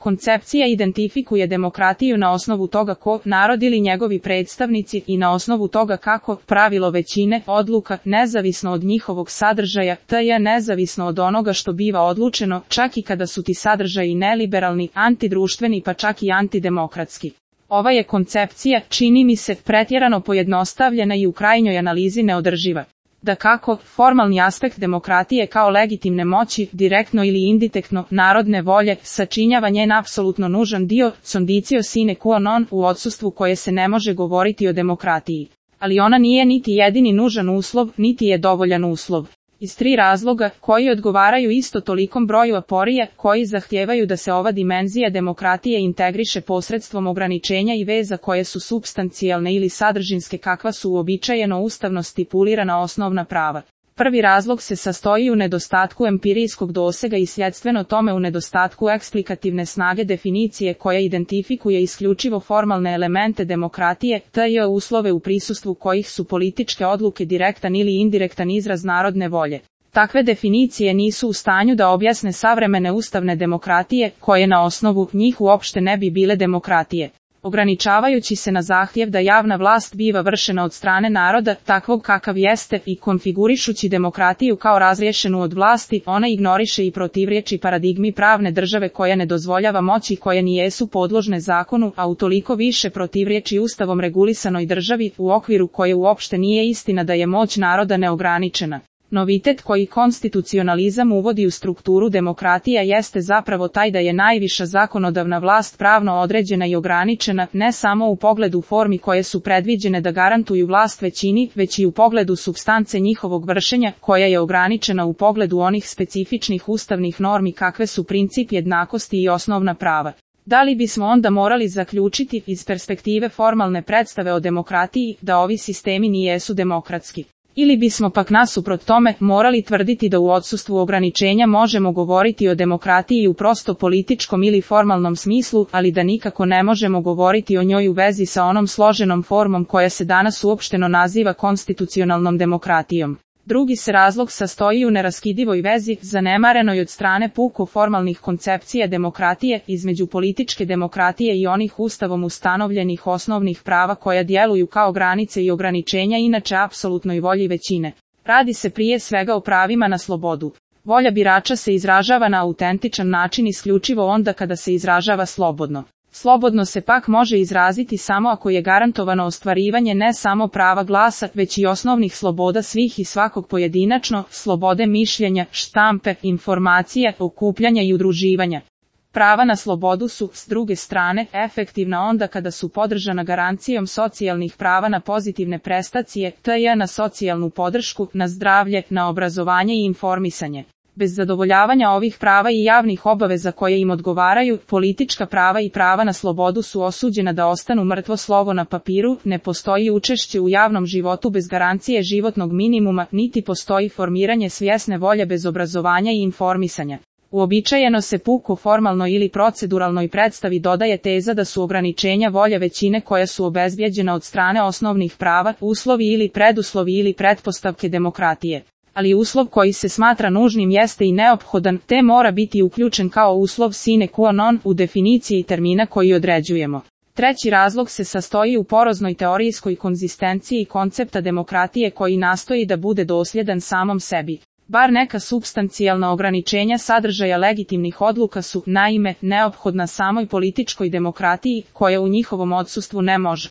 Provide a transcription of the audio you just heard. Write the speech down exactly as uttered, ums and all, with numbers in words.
Koncepcija identifikuje demokratiju na osnovu toga ko, narod ili njegovi predstavnici, i na osnovu toga kako, pravilo većine, odluka, nezavisno od njihovog sadržaja, tj. nezavisno od onoga što biva odlučeno, čak i kada su ti sadržaji neliberalni, antidruštveni pa čak i antidemokratski. Ova je koncepcija, čini mi se, pretjerano pojednostavljena i u krajnjoj analizi neodrživa. Dakako, formalni aspekt demokratije kao legitimne moći, direktno ili indirektno, narodne volje, sačinjava njen apsolutno nužan dio, condicio sine qua non, u odsustvu koje se ne može govoriti o demokratiji. Ali ona nije niti jedini nužan uslov, niti je dovoljan uslov. Iz tri razloga, koji odgovaraju isto tolikom broju aporija, koji zahtijevaju da se ova dimenzija demokratije integriše posredstvom ograničenja i veza koje su supstancijalne ili sadržinske kakva su uobičajeno ustavno stipulirana osnovna prava. Prvi razlog se sastoji u nedostatku empirijskog dosega i sljedstveno tome u nedostatku eksplikativne snage definicije koja identifikuje isključivo formalne elemente demokratije, tj. uslove u prisustvu kojih su političke odluke direktan ili indirektan izraz narodne volje. Takve definicije nisu u stanju da objasne savremene ustavne demokratije, koje na osnovu njih uopšte ne bi bile demokratije. Ograničavajući se na zahtjev da javna vlast biva vršena od strane naroda, takvog kakav jeste, i konfigurišući demokratiju kao razriješenu od vlasti, ona ignoriše i protivriječi paradigmi pravne države koja ne dozvoljava moći koje nijesu podložne zakonu, a utoliko više protivriječi ustavom regulisanoj državi, u okviru koje uopšte nije istina da je moć naroda neograničena. Novitet koji konstitucionalizam uvodi u strukturu demokratija jeste zapravo taj da je najviša zakonodavna vlast pravno određena i ograničena, ne samo u pogledu formi koje su predviđene da garantuju vlast većini, već i u pogledu supstance njihovog vršenja, koja je ograničena u pogledu onih specifičnih ustavnih normi kakve su princip jednakosti i osnovna prava. Da li bismo onda morali zaključiti, iz perspektive formalne predstave o demokratiji, da ovi sistemi nijesu demokratski? Ili bismo pak nasuprot tome morali tvrditi da u odsustvu ograničenja možemo govoriti o demokratiji u prosto političkom ili formalnom smislu, ali da nikako ne možemo govoriti o njoj u vezi sa onom složenom formom koja se danas uopšteno naziva konstitucionalnom demokratijom. Drugi se razlog sastoji u neraskidivoj vezi, zanemarenoj od strane puko formalnih koncepcija demokratije, između političke demokratije i onih ustavom ustanovljenih osnovnih prava koja djeluju kao granice i ograničenja inače apsolutnoj volji većine. Radi se prije svega o pravima na slobodu. Volja birača se izražava na autentičan način isključivo onda kada se izražava slobodno. Slobodno se pak može izraziti samo ako je garantovano ostvarivanje ne samo prava glasa, već i osnovnih sloboda svih i svakog pojedinačno, slobode mišljenja, štampe, informacija, okupljanja i udruživanja. Prava na slobodu su, s druge strane, efektivna onda kada su podržana garancijom socijalnih prava na pozitivne prestacije, tj. na socijalnu podršku, na zdravlje, na obrazovanje i informisanje. Bez zadovoljavanja ovih prava i javnih obaveza koje im odgovaraju, politička prava i prava na slobodu su osuđena da ostanu mrtvo slovo na papiru, ne postoji učešće u javnom životu bez garancije životnog minimuma, niti postoji formiranje svjesne volje bez obrazovanja i informisanja. Uobičajeno se puko formalno ili proceduralnoj predstavi dodaje teza da su ograničenja volje većine koja su obezbijeđena od strane osnovnih prava, uslovi ili preduslovi ili pretpostavke demokratije. Ali uslov koji se smatra nužnim jeste i neophodan, te mora biti uključen kao uslov sine qua non u definiciji termina koji određujemo. Treći razlog se sastoji u poroznoj teorijskoj konzistenciji koncepta demokratije koji nastoji da bude dosljedan samom sebi. Bar neka supstancijalna ograničenja sadržaja legitimnih odluka su, naime, neophodna samoj političkoj demokratiji, koja u njihovom odsustvu ne može.